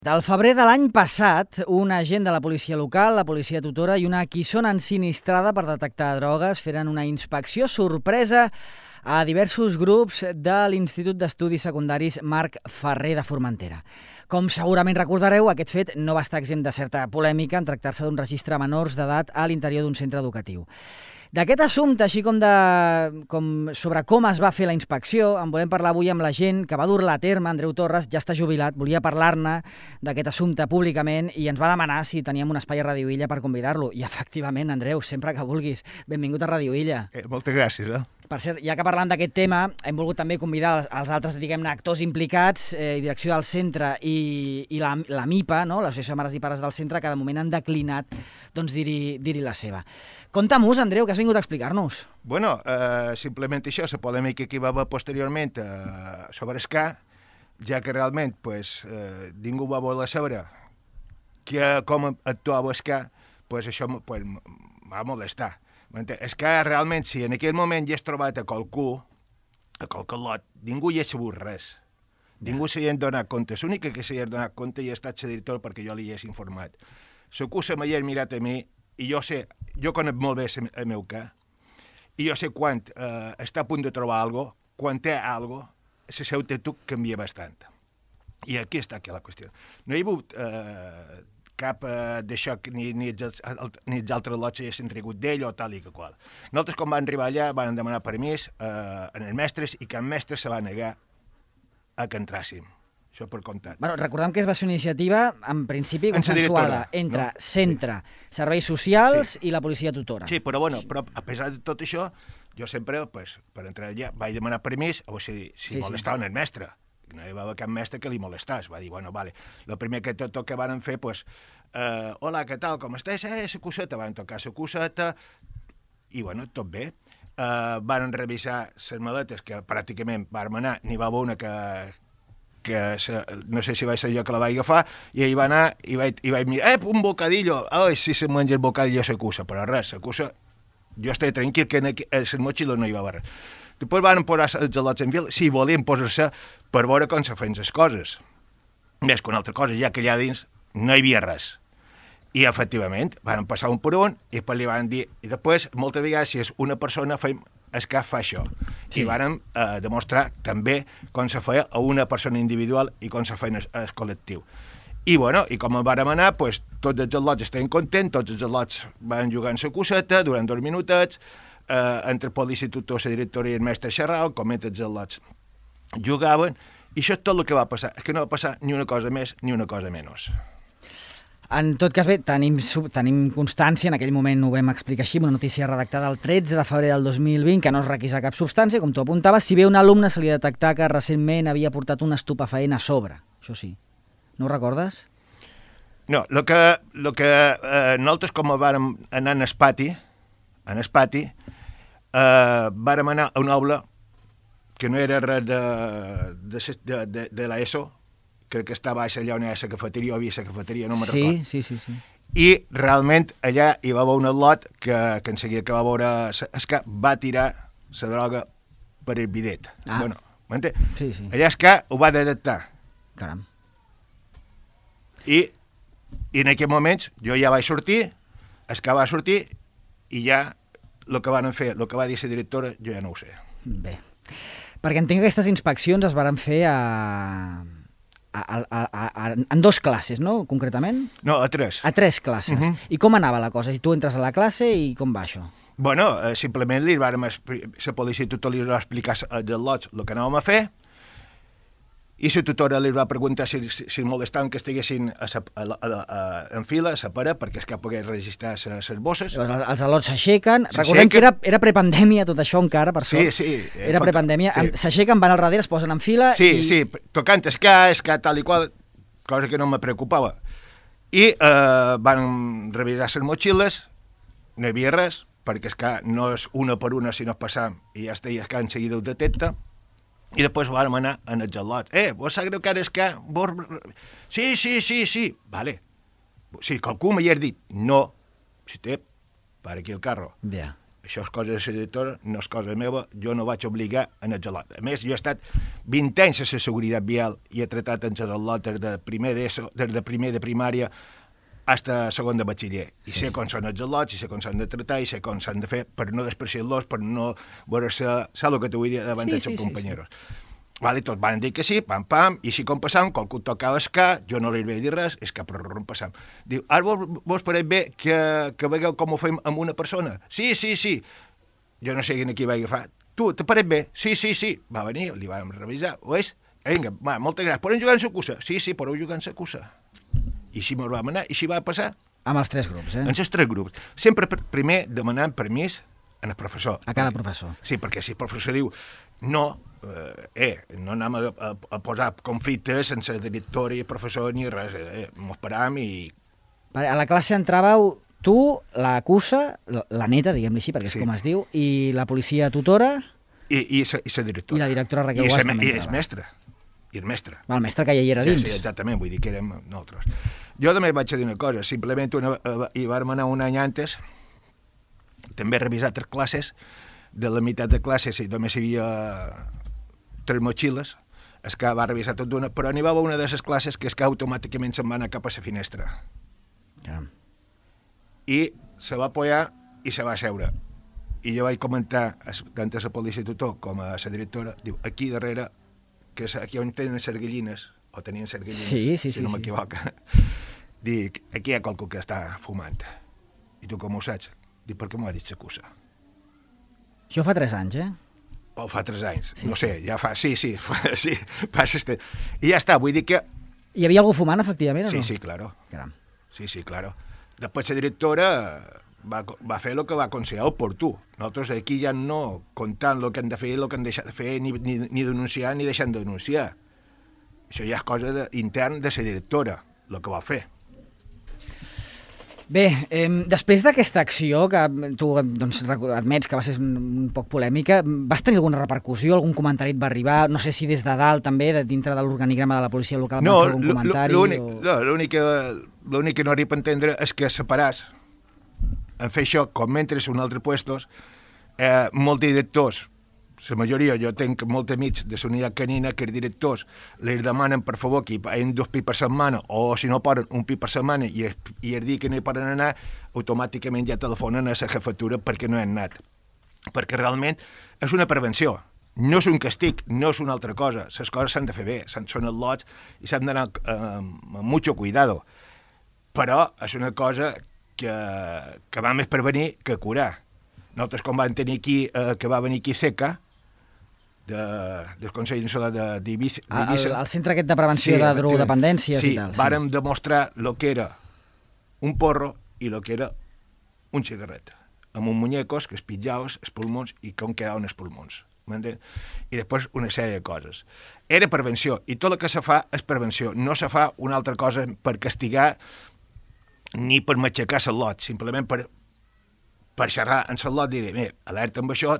Del febrer de l'any passat, un agent de la policia local, la policia tutora i una quissona ensinistrada per detectar drogues feren una inspecció sorpresa a diversos grups de l'Institut d'Estudis Secundaris Marc Ferrer de Formentera. Com segurament recordareu, aquest fet no va estar exempt de certa polèmica en tractar-se d'un registre a menors d'edat a l'interior d'un centre educatiu. D'aquest assumpte, així com sobre com es va fer la inspecció, en volem parlar avui amb la gent que va dur-la a terme. Andreu Torres ja està jubilat, volia parlar-ne d'aquest assumpte públicament i ens va demanar si teníem un espai a Ràdio Illa per convidar-lo. I efectivament, Andreu, sempre que vulguis, benvingut a Ràdio Illa. Moltes gràcies. Per cert, ja que parlant d'aquest tema, hem volgut també convidar els altres, diguem-ne, actors implicats, direcció del centre i la MIPA, no? l'Associació de Mares i Pares del centre, que de moment han declinat dir-hi la seva. Compte-mos, Andreu, que has vingut a explicar-nos. Bueno, simplement això, la polèmica que hi va haver posteriorment sobre Escà, ja que realment ningú va voler saber com actuava Escà, això va molestar. És que realment, si en aquell moment ja has trobat a qualcú, a qualque lot, ningú hi ha sabut res. Ningú s'hi ha donat compte. L'única que s'hi ha donat compte hi ha estat la directora perquè jo li hagués informat. L'acusa m'hi ha mirat a mi i jo conec molt bé el meu cas i jo sé quan està a punt de trobar alguna cosa, quan té alguna cosa, la seva actitud canvia bastant. I aquí està la qüestió. No hi ha hagut cap d'això que ni els altres lots s'hagin rigut d'ell o tal i que qual. Nosaltres, quan vam arribar allà, vam demanar permís als mestres i cap mestre se va negar a que entràssim. Això per comptat. Bueno, recordem que va ser una iniciativa, en principi, consensuada entre centre, serveis socials i la policia tutora. Sí, però a pesar de tot això, jo sempre, per entrar allà, vaig demanar permís a veure si molestaven el mestre. No hi va haver cap mestre que li molestàs. Va dir, vale. El primer que tot que van fer, hola, què tal, com estàs? La coseta, van tocar la coseta, i tot bé. Van revisar les maletes, que pràcticament vam anar, n'hi va haver una que no sé si va ser jo que la vaig agafar, i ahir va anar i vaig mirar, un bocadillo, ai, si se menja el bocadillo la cosa, però res, la cosa, jo estava tranquil que en les motxilles no hi va haver res. Després van posar els gelots en fil, si volien posar-se per veure com se feien les coses. Més que una altra cosa, ja que allà dins no hi havia res. I, efectivament, van passar un per un, i després li van dir... I després, moltes vegades, si és una persona, és que fa això. Sí. I van demostrar també com se feia a una persona individual i com se feia el col·lectiu. I, i com vam anar, tots els gelots estaven contents, tots els gelots van jugar en la coseta durant 2 minutets, entre el policia tutor, la directora i el mestre xerraven, com els gelots jugaven, i això és tot el que va passar. És que no va passar ni una cosa més ni una cosa menys. En tot cas, bé, tenim constància, en aquell moment ho vam explicar així, una notícia redactada el 13 de febrer del 2020, que no es requisa cap substància, com tu apuntaves, si bé un alumne se li detectar que recentment havia portat un estupefaent a sobre. Això sí. No ho recordes? No, el que nosaltres, com vàrem anar en el pati, vàrem anar a una aula que no era res de l'ESO, crec que estava allà on hi ha la cafeteria, o havia la cafeteria, no me'n recordo. Sí. I realment allà hi va haver un atlot que en seguida que va veure és que va tirar la droga per el bidet. M'entén? Sí. Allà és que ho va detectar. Caram. I en aquells moments jo ja vaig sortir, és que va sortir, i ja el que van fer, el que va dir la directora, jo ja no ho sé. Bé, perquè entenc que aquestes inspeccions es van fer en 2 classes, no?, concretament? No, a 3. A 3 classes. I com anava la cosa? Tu entres a la classe i com va això? Simplement la policia tutora li va explicar als lots el que anàvem a fer, i la tutora li va preguntar si molestaven que estiguessin en fila, a la paret, perquè és que pogués registrar les bosses. Els al·lots s'aixequen. Recordem que era prepandèmia tot això encara, per sort. Sí. Era prepandèmia. S'aixequen, van al darrere, es posen en fila... Sí, tocant escà, tal i qual, cosa que no me preocupava. I van revisar les motxilles, no hi havia res, perquè escà no és una per una, sinó passar, i ja està, i escà en seguida ho detecta. I després vam anar en el gelot. Vos sap greu que ara és que... Sí. Vale. Si qualcú m'hi ha dit no, si té, para aquí el carro. Ja. això és cosa de la directora, no és cosa meva, jo no vaig obligar en el gelot. A més, jo he estat 20 anys a la seguretat vial i he tratat en gelot des de primer de primària fins a segon de batxiller. I sé com són els gelots, i sé com s'han de tratar, i sé com s'han de fer per no despreciar-los, per no veure-se... Saps el que t'ho vull dir davant dels seus companyeros? Vale, tots van dir que sí, pam, pam, i si com passam, qualcú tocava escar, jo no li vaig dir res, és que per passam. Diu, ara vos pareix bé que veieu com ho fem amb una persona? Sí. Jo no sé qui va agafar. Tu, te pareix bé? Sí. Va venir, li vam revisar, ho és? Vinga, va, moltes gràcies. Podem jugar en sa cussa? Sí, podeu jugar en sa cussa. I així me'n vam anar, i així va passar. Amb els 3 grups, En els 3 grups. Sempre primer demanant permís al professor. A cada professor. Sí, perquè si el professor diu no, no anem a posar conflictes sense director i professor ni res, m'ho esperàvem i... A la classe entràveu tu, la cussa, la neta, diguem-li així, perquè és com es diu, i la policia tutora... I la directora. I la directora Raquel Guas també entrava. I el mestre. El mestre que ja hi era dins. Sí, exactament, vull dir que érem nosaltres. Jo també vaig dir una cosa, simplement hi vam anar un any antes, també he revisat 3 classes, de la meitat de classes i només hi havia 3 motxilles, és que va revisar tot d'una, però n'hi va haver una de les classes que és que automàticament se'n va anar cap a la finestra. I se va apoyar i se va seure. I jo vaig comentar tant a la policia tutor com a la directora, diu, aquí darrere, que és aquí on tenen les gallines, o tenien les gallines, si no m'equivoco, dic, aquí hi ha qualcú que està fumant. I tu com ho saps? Dic, per què m'ho ha dit la cussa? Això fa 3 anys, O fa 3 anys, no sé, ja fa... Sí, passa este... I ja està, vull dir que... Hi havia algú fumant, efectivament, o no? Sí, claro. Caram. Sí, claro. Després la directora va fer el que va considerar oportú. Nosaltres aquí ja no comptant el que han de fer, el que han deixat de fer, ni denunciar ni deixant de denunciar. Això ja és cosa intern de la directora, el que va fer. Bé, després d'aquesta acció, que tu admets que va ser un poc polèmica, vas tenir alguna repercussió, algun comentari et va arribar? No sé si des de dalt també, dintre de l'organigrama de la policia local, va fer algun comentari? L'únic que no arriba a entendre és que separàs en fer això, com mentre en altres puestos, molts directors, la majoria, jo tenc molts amics de la unitat canina que els directors els demanen per favor que hi hagin 2 pis per setmana o si no poden 1 pis per setmana i el dia que no hi poden anar automàticament ja telefonen a la jefatura perquè no hi han anat. Perquè realment és una prevenció, no és un castig, no és una altra cosa, les coses s'han de fer bé, són els lots i s'han d'anar amb mucho cuidado, però és una cosa que va més prevenir que curar. Nosaltres com vam tenir aquí, que va venir aquí CECA, del Consell Insular d'Eivissa. El centre aquest de prevenció de drogodependències i tal. Sí, vàrem demostrar el que era un porro i el que era un cigarret, amb un muñecos que es pitjaves els pulmons i com quedaven els pulmons. M'entens? I després una sèrie de coses. Era prevenció, i tot el que se fa és prevenció. No se fa una altra cosa per castigar ni per matxacar el lot, simplement per xerrar en el lot i dir, alerta amb això,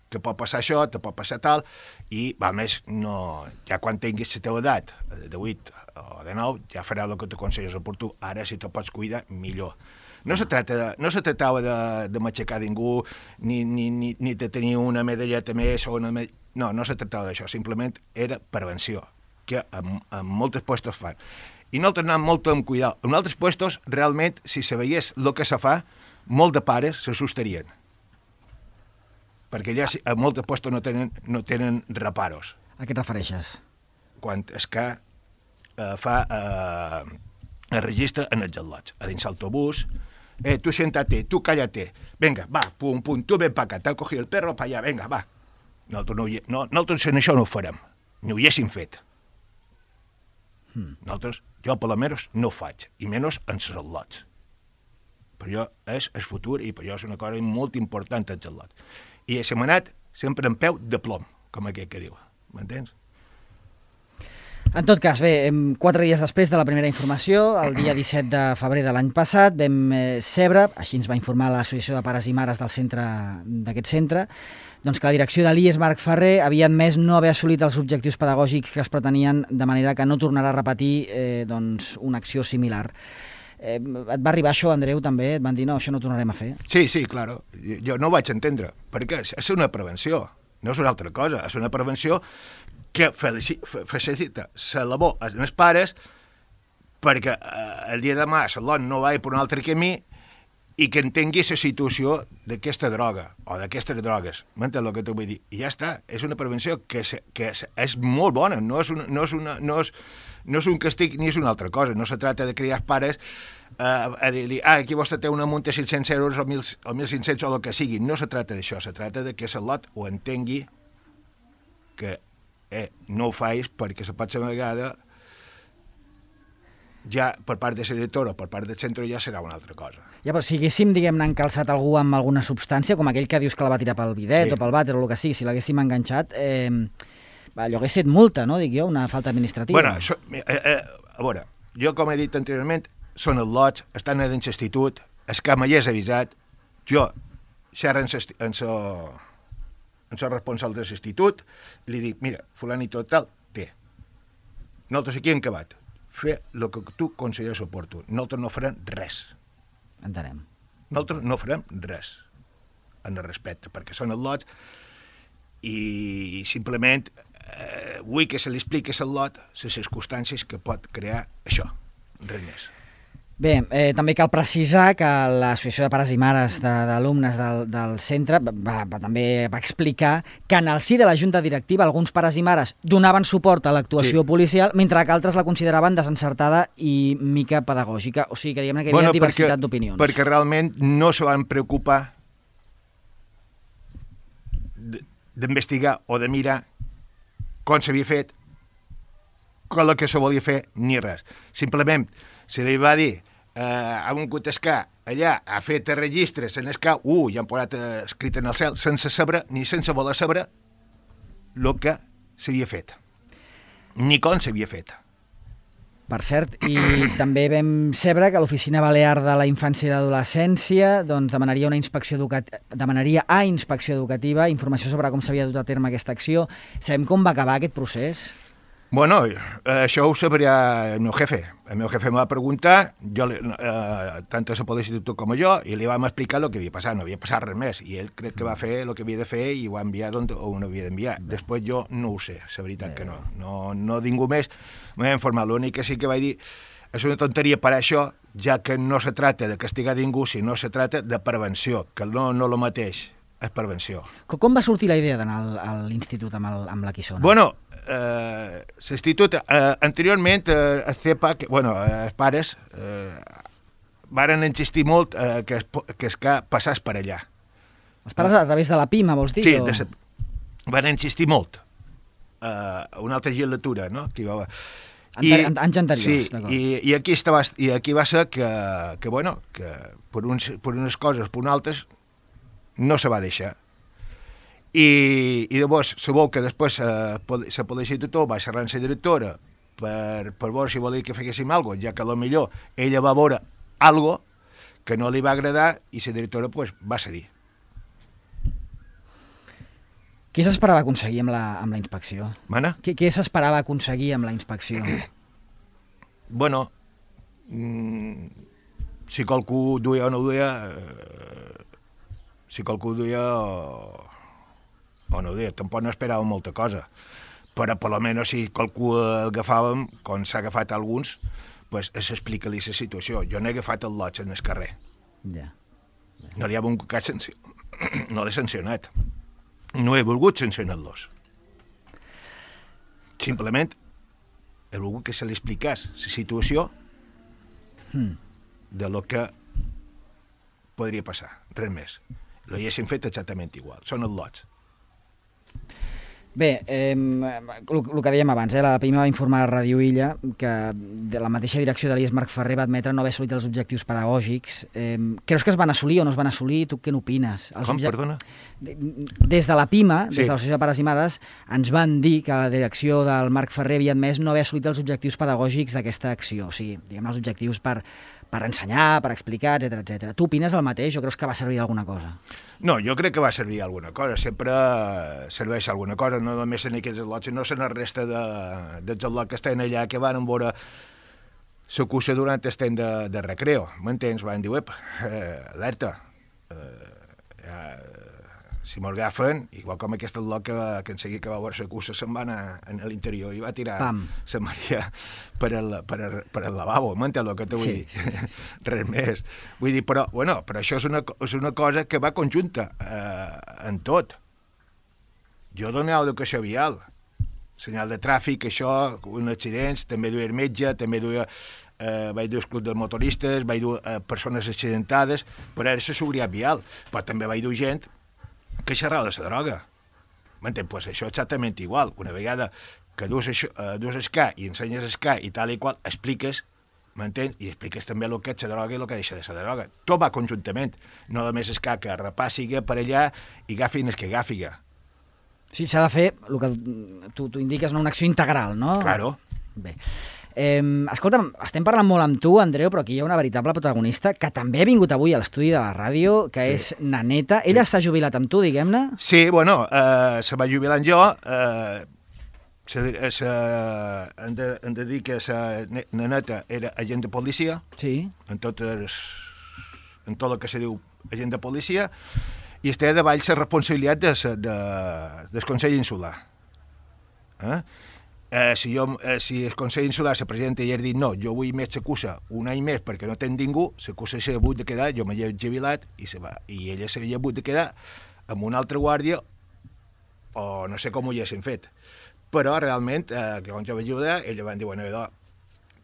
que pot passar això, te pot passar tal, i, a més, no, ja quan tinguis la teva edat, de 8 o de 9, ja farà el que t'aconselles oportú. Ara, si te pots cuidar, millor. No se tractava de matxacar ningú, ni de tenir una medalleta més o una no se tractava d'això, simplement era prevenció, que en molts puestos fan. I nosaltres anem molt amb cuidado. En altres puestos, realment, si se veiés el que se fa, molts de pares s'assustarien. Perquè allà a molts puestos no tenen reparos. A què et refereixes? Quan es que el registre en els lots. A dins l'autobús, tu siéntate, tu cállate, venga, va, pum, tu ven pa acá, t'ha cogido el perro pa allà, venga, va. Nosaltres en això no ho farem, ni ho haguéssim fet. Nosaltres, jo per almenys no ho faig, i menys en els lots. Per jo és el futur i per jo és una cosa molt important en els lots. I se m'ha anat sempre en peu de plom, com aquell que diu, m'entens? En tot cas, bé, 4 dies després de la primera informació, el dia 17 de febrer de l'any passat, vam saber, així ens va informar l'Associació de Pares i Mares d'aquest centre, doncs que la direcció de l'IES Marc Ferrer havia admès no haver assolit els objectius pedagògics que es pretenien, de manera que no tornarà a repetir una acció similar. Et va arribar això, Andreu, també? Et van dir, no, això no ho tornarem a fer? Sí, claro. Jo no ho vaig entendre, perquè és una prevenció, no és una altra cosa, és una prevenció que facilita la labor als pares perquè el dia de demà l'on no va per un altre camí i que entengui la situació d'aquesta droga o d'aquestes drogues. M'entens el que t'ho vull dir? I ja està, és una prevenció que és molt bona, no és un castig ni és una altra cosa. No se tracta de criar pares a dir-li, aquí vostè té una multa de 500 euros o 1.500 o el que sigui. No se tracta d'això, se tracta de que l'ot ho entengui que no ho faig perquè la pròxima vegada ja per part de la directora o per part del centre ja serà una altra cosa. Ja, però si haguéssim, diguem-ne, encalçat algú amb alguna substància, com aquell que dius que la va tirar pel bidet o pel vàter o el que sigui, si l'haguéssim enganxat, allò hagués set multa, no?, dic jo, una falta administrativa. Bueno, a veure, jo com he dit anteriorment, són els lots, estan en l'institut, el que m'hi és avisat, jo xerro en el responsable de l'institut, li dic, mira, fulanito tal, té. Nosaltres aquí hem acabat. Fer el que tu consideres oportú. Nosaltres no farem res. Entenem. Nosaltres no farem res en el respecte, perquè són els lots i simplement vull que se li expliqui al lot les circumstàncies que pot crear això, res més. Bé, també cal precisar que l'Associació de Pares i Mares d'Alumnes del centre també va explicar que en el si de la Junta Directiva alguns pares i mares donaven suport a l'actuació policial, mentre que altres la consideraven desencertada i mica pedagògica. O sigui que diguem que hi havia diversitat d'opinions. Perquè realment no se van preocupar d'investigar o de mirar com s'havia fet, com el que se volia fer, ni res. Simplement se li va dir a un cotescà allà ha fet registres en el que ja han posat escrit en el cel sense saber ni sense voler saber el que s'havia fet ni com s'havia fet. Per cert, i també vam saber que l'Oficina Balear de la Infància i l'Adolescència demanaria a Inspecció Educativa informació sobre com s'havia dut a terme aquesta acció. Sabem com va acabar aquest procés? Bueno, això ho sabria el meu jefe. El meu jefe em va preguntar, tant a la Policía Institut com a jo, i li vam explicar el que havia passat. No havia passat res més, i ell crec que va fer el que havia de fer i ho va enviar on ho havia d'enviar. Després jo no ho sé, la veritat que no. No ningú més m'ha informat. L'únic que sí que vaig dir és una tonteria per això, ja que no se tracta de castigar ningú, sinó se tracta de prevenció, que no el mateix és prevenció. Com va sortir la idea d'anar a l'institut amb la Quissona? Bueno, l'institut, anteriorment, el CEPA, els pares varen insistir molt que passés per allà. Els pares a través de la PIMA, vols dir? Sí, van insistir molt. Una altra legislatura, no? Anys anteriors, d'acord. I aquí va ser que per unes coses, per altres, no se va deixar. I llavors sabeu que després la Policía Institut va xerrar amb la directora per veure si volia que féssim alguna cosa, ja que potser ella va veure alguna cosa que no li va agradar i la directora va cedir. Què s'esperava aconseguir amb la inspecció? Mana? Què s'esperava aconseguir amb la inspecció? Bueno, si qualcú duia o no duia, si qualcú duia o no duia, tampoc no esperàvem molta cosa, però per almenys si qualcú agafàvem, com s'ha agafat alguns, s'explica-li la situació. Jo no he agafat el lot en el carrer. No li ha volgut no l'he sancionat. No he volgut sancionar-los. Simplement he volgut que se li explicés la situació de lo que podria passar, res més. L'haguessin fet exactament igual, són els lots. Bé, el que dèiem abans, la PIMA va informar a Ràdio Illa que de la mateixa direcció de l'IES Marc Ferrer va admetre no haver assolit els objectius pedagògics. Creus que es van assolir o no es van assolir? Tu què n'opines? Com, perdona? Des de la PIMA, des de l'Associació de Pares i Mares, ens van dir que la direcció del Marc Ferrer havia admès no haver assolit els objectius pedagògics d'aquesta acció. O sigui, diguem, els objectius per ensenyar, per explicar, etc. Tu opines el mateix o creus que va servir d'alguna cosa? No, jo crec que va servir alguna cosa. Sempre serveix alguna cosa, no només en aquests lots, sinó en la resta dels lots que estan allà, que van veure s'acusa durant el temps de recreo, m'entens? Van dir, alerta, si m'ho agafen, igual com aquest lot que en seguir que va veure s'acusa se'n va anar a l'interior i va tirar la Maria per al lavabo, m'entens el que t'ho vull dir? Res més. Vull dir, però això és una cosa que va conjunta en tot. Jo donava educació vial, senyal de tràfic, això, un accidents, també duia el metge, també duia... vaig dur el club de motoristes, vaig dur persones accidentades, però era la seguretat vial. Però també vaig dur gent que xerrava de la droga. M'entens? Pues això és exactament igual. Una vegada que dus escà i ensenyes escà i tal i qual, expliques, m'entens? I expliques també el que és la droga i el que deixa de ser la droga. Tot va conjuntament. No només escà que repàssiga per allà i agafin el que agafiga. Sí, s'ha de fer, el que tu indiques, una acció integral, no? Claro. Bé. Escolta'm, estem parlant molt amb tu, Andreu, però aquí hi ha una veritable protagonista que també ha vingut avui a l'estudi de la ràdio, que és Naneta. Ella s'ha jubilat amb tu, diguem-ne? Sí, bueno, se va jubilar amb jo. Hem de dir que la Naneta era agent de policia, en tot el que se diu agent de policia, i està davall la responsabilitat del Consell Insular. Si el Consell Insular, la presidenta, ja ha dit no, jo vull més s'acusa un any més perquè no tenc ningú, s'acusa s'ha hagut de quedar, jo m'he jubilat i ella s'havia hagut de quedar amb una altra guàrdia o no sé com ho haguessin fet. Però realment, que quan jo vaig jubilar, ella van dir, bueno,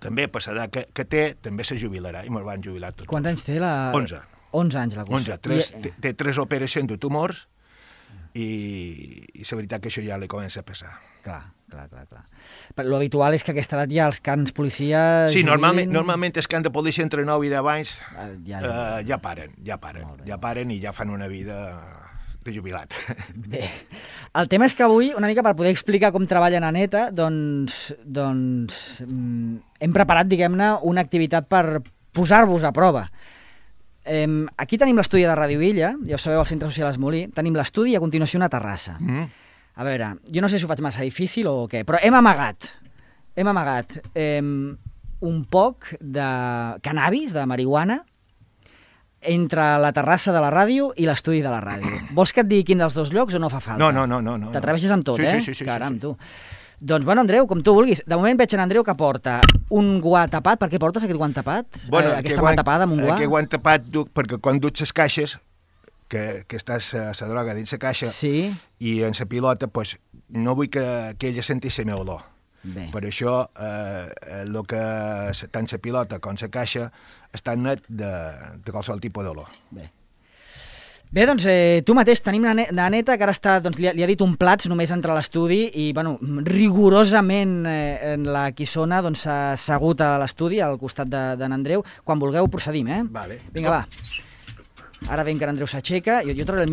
també per l'edat que té, també se jubilarà, i me'l van jubilar tots. Quants anys té la... 11. 11 anys la cosa. 11. Té 3 operacions de tumors i la veritat que això ja li comença a passar. Clar. Però l'habitual és que a aquesta edat ja els cans policia... Sí, normalment els cans de policia entre 9 i 10 anys ja paren i ja fan una vida de jubilat. Bé, el tema és que avui, una mica per poder explicar com treballa Naneta, doncs hem preparat, diguem-ne, una activitat per posar-vos a prova. Aquí tenim l'estudi de Ràdio Illa, ja ho sabeu, al Centre Social Esmolí, tenim l'estudi i a continuació una terrassa. A veure, jo no sé si ho faig massa difícil o què, però hem amagat un poc de cannabis, de marihuana, entre la terrassa de la ràdio i l'estudi de la ràdio. Vols que et digui quin dels dos llocs o no fa falta? No. T'atreveixes amb tot, Sí. Caram, tu. Doncs, bueno, Andreu, com tu vulguis. De moment veig en Andreu que porta un guant tapat. Per què portes aquest guant tapat? Aquesta mà tapada amb un guant? Aquest guant tapat perquè quan duts les caixes, que estàs la droga dins la caixa i en la pilota, pues, no vull que ella sentís la meva olor. Bé. Per això, tant la pilota com la caixa estan net de qualsevol tipus d'olor. Bé, doncs tu mateix tenim la Neta, que ara està, doncs, li ha dit un plats només entre l'estudi i, bueno, rigorosament la Quissona doncs, s'ha assegut a l'estudi al costat d'en Andreu. Quan vulgueu procedim, Vale. Vinga, va. Ara veiem que Andreu s'aixeca, jo trauré el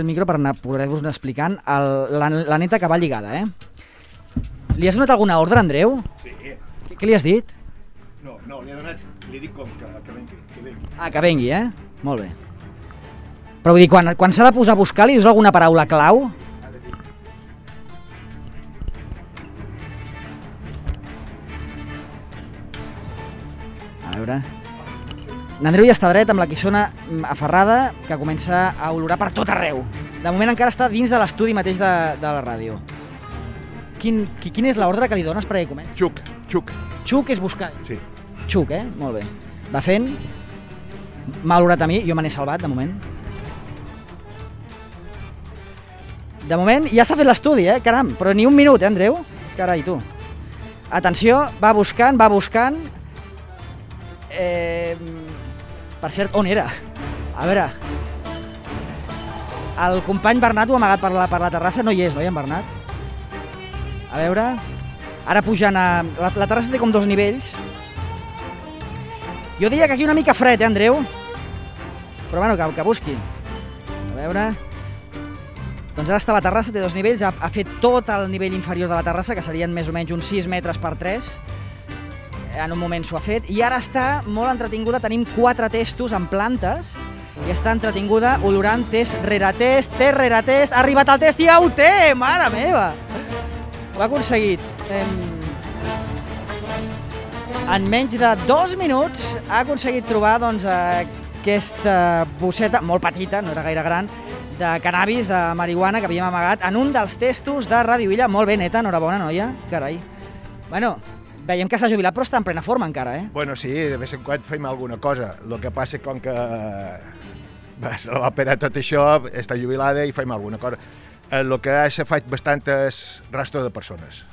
micro per poder-vos explicant la Neta que va lligada, Li has donat alguna ordre, Andreu? Sí. Què li has dit? No, li dic com que vengui. Que vengui, Molt bé. Però vull dir, quan s'ha de posar a buscar, li dius alguna paraula clau? A veure... N'Andreu ja està dret amb la Quissona aferrada, que comença a olorar per tot arreu. De moment encara està dins de l'estudi mateix de la ràdio. Quin és l'ordre que li dones perquè comenci? Xuc. Xuc és buscar? Sí. Xuc, Molt bé. Va fent. M'ha olorat a mi, jo me n'he salvat, de moment. De moment ja s'ha fet l'estudi, caram. Però ni un minut, Andreu? Carai, tu. Atenció, va buscant. Per cert, on era? A veure... El company Bernat ho ha amagat per la terrassa. No hi és, no hi ha en Bernat? A veure... Ara pujant a... La terrassa té com 2 nivells. Jo diria que aquí una mica fred, Andreu? Però bueno, que busqui. A veure... Doncs ara està a la terrassa, té 2 nivells. Ha fet tot el nivell inferior de la terrassa, que serien més o menys uns 6 metres per 3. En un moment s'ho ha fet, i ara està molt entretinguda, tenim 4 testos en plantes, i està entretinguda olorant test rere test, ha arribat al test i ja ho té, mare meva! Ho ha aconseguit. En menys de 2 minuts ha aconseguit trobar doncs, aquesta bosseta, molt petita, no era gaire gran, de cannabis, de marihuana, que havíem amagat en un dels testos de Ràdio Illa. Molt bé, neta, enhorabona, noia. Carai. Bueno, veiem que s'ha jubilat, però està en plena forma encara, eh? Bueno, sí, de vez en quan fem alguna cosa. El que passa és com que se la va operar tot això, està jubilada i fem alguna cosa. El que se faig bastant és rastro de persones.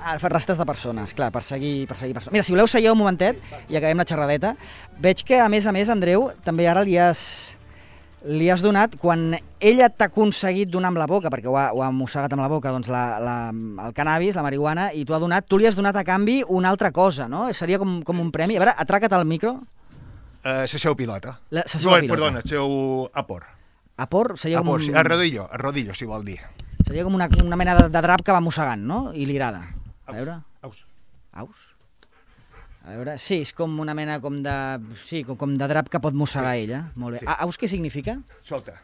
Fa rastres de persones, clar, per seguir persones. Mira, si voleu, seieu un momentet i acabem la xerradeta. Veig que, a més, Andreu, també ara li has donat, quan ella t'ha aconseguit donar amb la boca, perquè ho ha mossegat amb la boca, doncs el cannabis, la marihuana, i tu li has donat a canvi una altra cosa, no? Seria com un premi. A veure, atraca't al micro. La seu pilota. Perdona, el seu apor. Apor? Seria com sí, el rodillo, si vol dir. Seria com una mena de drap que va mossegant, no? I li agrada. A veure. Aus? A veure, sí, és com una mena com de drap que pot mossegar ella. Molt bé. Sí. Aus què significa? Solta.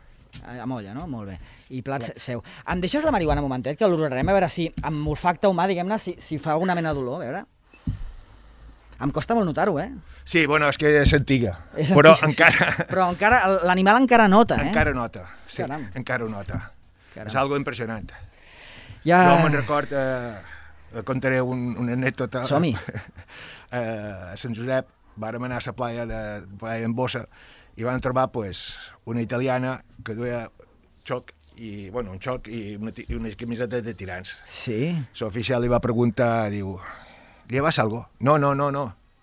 Amolla, no? Molt bé. I plats seu. Em deixes la marihuana un momentet, que l'olorarem, a veure si amb olfacte humà, diguem-ne, si fa alguna mena d'olor, a veure. Em costa molt notar-ho, eh? Sí, bueno, és que és antiga. Però encara l'animal encara nota, eh? Encara nota, sí. Caram. Encara ho nota. Caram. És algo impressionant. Jo me'n record... contaré una anècdota. Som-hi. A Sant Josep vàrem anar a la playa en Bossa i vam trobar una italiana que duia un xoc i unes camisetes de tirants. Sí. L'oficial li va preguntar, diu, ¿llevas algo? No.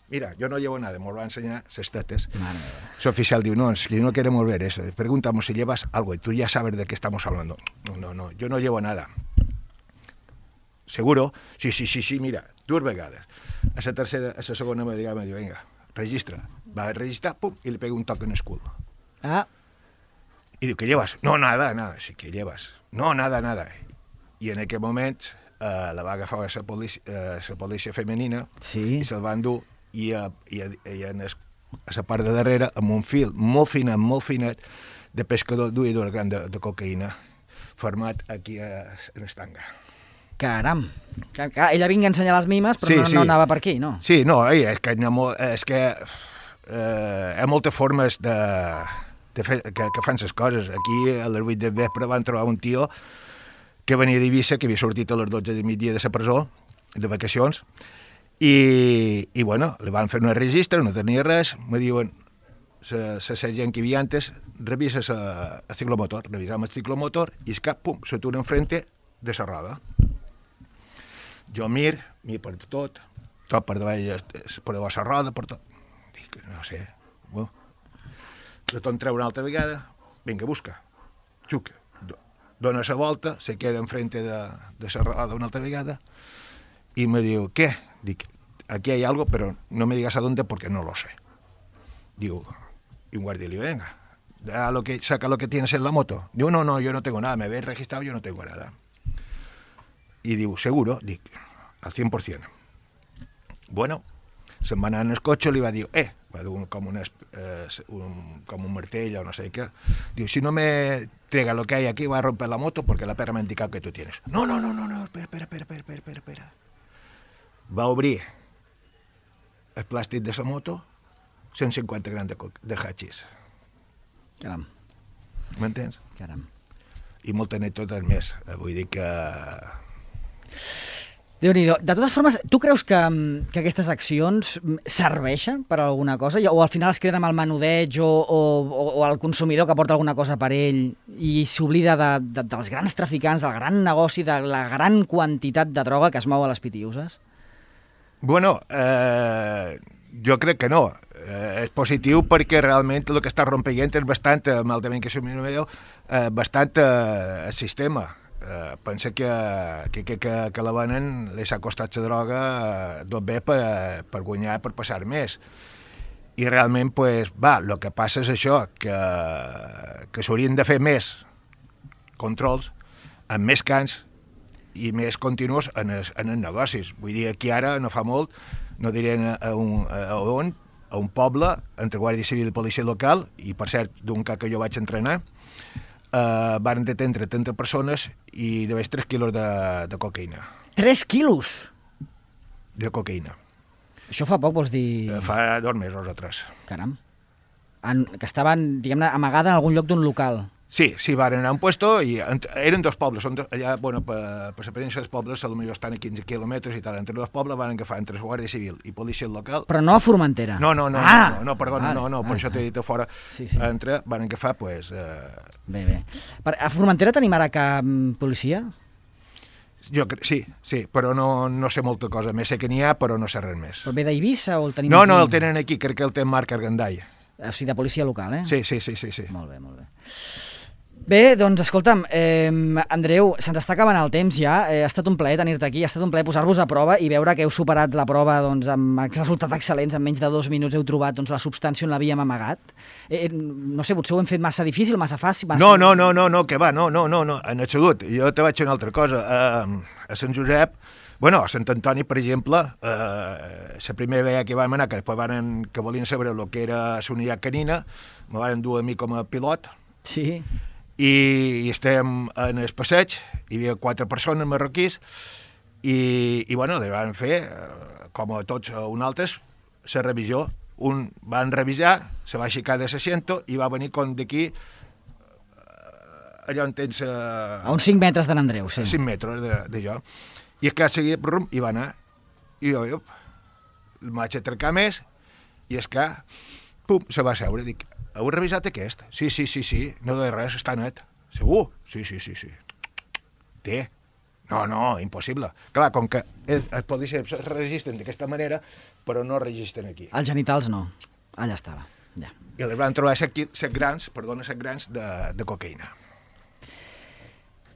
Mira, yo no llevo nada, me lo va a enseñar las tetas. Su oficial dijo, no, es que no queremos ver eso. Preguntamos si llevas algo y tú ya sabes de qué estamos hablando. No, yo no llevo nada. ¿Seguro? Sí, mira, 2 vegades. A la segona vegada me diu, venga, registra. Va a registrar, pum, y le pega un toque en el cul. Y diu, ¿qué llevas? No, nada. Sí, ¿qué llevas? No, nada. I en aquell moment la va agafar la policia femenina i se'l va endur i a la part de darrere, amb un fil molt finet, de pescador duia 2 grams de cocaïna format aquí en estanga. Caram. Ella vinga a ensenyar les mimes, però no anava per aquí, no? Sí, no, és que hi ha moltes formes que fan les coses. Aquí, a les 8 del vespre, van trobar un tio que venia d'Eivissa, que havia sortit a les 12 del migdia de la presó, de vacacions, i bueno, li van fer un registre, no tenia res, me diuen, la sergent que hi havia antes, revisa el ciclomotor, revisam el ciclomotor, i és que, pum, s'atura enfrente de la roda. Jo mir per tot per davall, per davall la roda, per tot. Dic, no sé, la torn treure una altra vegada, vinga, busca, xuca. Dona la volta, se queda enfrente de la roda una altra vegada y me diu, ¿qué? Dic, aquí hay algo, pero no me digas a dónde porque no lo sé. Digo, y un guardia le digo, venga, saca lo que tienes en la moto. Digo, no, yo no tengo nada, me habéis registrado, yo no tengo nada. Y digo, ¿seguro? Dic, al 100%. Bueno, se'n va anar en el cotxe, li va dir, va dir com un martell o no sé què. Diu, si no me traiga lo que hay aquí, va a romper la moto porque la perra me ha indicado que tú tienes. No, espera. Va obrir el plàstic de la moto, 150 grams de hachís. Caram. M'entens? Caram. I moltes anècdotes més. Vull dir que... Déu-n'hi-do. De totes formes, tu creus que aquestes accions serveixen per a alguna cosa? O al final es queden amb el menudeig o el consumidor que porta alguna cosa per ell i s'oblida dels grans traficants, del gran negoci, de la gran quantitat de droga que es mou a les pitiuses? Bueno, jo crec que no. És positiu perquè realment el que està rompent és bastant, malament que som bastant el sistema. Pensa que la venen li s'ha costat la droga tot bé per guanyar, per passar més. I realment, el que passa és això, que s'haurien de fer més controls, amb més cans i més continus en els negocis. Vull dir, aquí ara, no fa molt, no diré a un poble, entre Guàrdia Civil i Policia Local, i per cert, d'un cas que jo vaig entrenar, van detenir 30 persones i de més 3 quilos de cocaïna. 3 quilos? De cocaïna. Això fa poc, vols dir? Fa 2 mesos o 3. Caram. Que estaven, diguem-ne, amagada en algun lloc d'un local. Sí, van anar a un puesto i eren 2 pobles. Allà, bueno, per la presència dels pobles, potser estan a 15 quilòmetres i tal. Entre 2 pobles van agafar entre Guàrdia Civil i policia local. Però no a Formentera. No, perdona, per això t'he dit a fora. Sí. Entre van agafar, doncs... Bé. A Formentera tenim ara cap policia? Sí, però no sé molta cosa més. Sé que n'hi ha, però no sé res més. Però ve d'Eivissa o el tenim No, aquí? el tenen aquí, crec que el té Marc Argandall. O sigui, de policia local, eh? Sí. Molt bé. Bé, doncs, escolta'm, Andreu, se'ns està acabant el temps ja. Ha estat un plaer tenir-te aquí, ha estat un plaer posar-vos a prova i veure que heu superat la prova doncs, amb resultats excel·lents. En menys de 2 minuts heu trobat doncs, la substància on l'havíem amagat. No sé, potser ho hem fet massa difícil, massa fàcil? No, que va, no, en absolut. Jo te vaig dir una altra cosa. A Sant Josep, a Sant Antoni, per exemple, la primera vegada que vam anar, que després que volien saber el que era la unitat canina, me van dur a mi com a pilot. Sí. I estem en el passeig, hi havia 4 persones marroquís i li van fer, com a tots un altres, la revisió. Un van revisar, se va aixecar de l'assento i va venir com d'aquí, allà on tens... A uns 5 metres de n'Andreu, sí. 5 metres d'allò. I és que seguia, i va anar. I jo em vaig atracar més i és que, se va seure, dic... Heu revisat aquest? Sí, no de res, està net. Segur? Sí. Té? No, impossible. Clar, com que els policies es registren d'aquesta manera, però no registren aquí. Els genitals no. Allà estava, ja. I els van trobar 7 grans de cocaïna.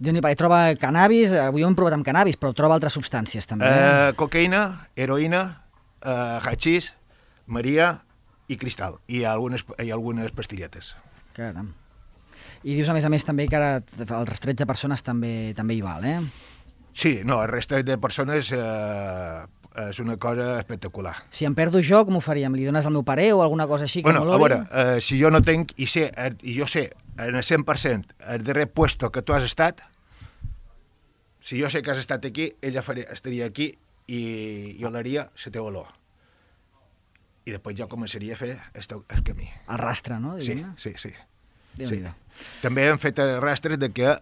Déu-n'hi-do, troba cannabis, avui ho hem provat amb cannabis, però troba altres substàncies també. Cocaïna, heroïna, hachís, maria... i cristal, i algunes pastilletes. Caram. I dius, a més, també que ara els 13 persones també hi val, eh? Sí, el resta de persones és una cosa espectacular. Si em perdo jo, com ho faríem? Li dones al meu pare o alguna cosa així? A veure, si jo no tenc, i jo sé en el 100% el darrer puesto que tu has estat, si jo sé que has estat aquí, ella estaria aquí i jo l'aria la teva olor. I després jo començaria a fer el camí. El rastre, no? Sí. Déu-n'hi-do. També hem fet el rastre de que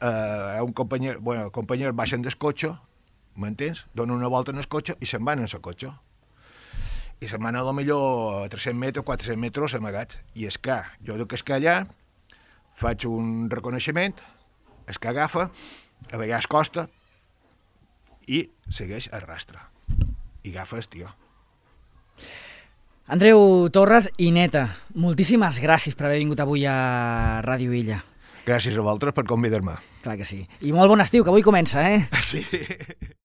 un company baixen del cotxe, m'entens? Donen una volta en el cotxe i se'n van en el cotxe. I se'n van a lo millor 300 metres, 400 metres amagats. I és que jo de que és que allà faig un reconeixement, és que agafa, a vegades costa, i segueix el rastre. I agafes, tio. Andreu Torres i Neta, moltíssimes gràcies per haver vingut avui a Ràdio Illa. Gràcies a vosaltres per convidar-me. Clar que sí. I molt bon estiu, que avui comença, eh? Sí.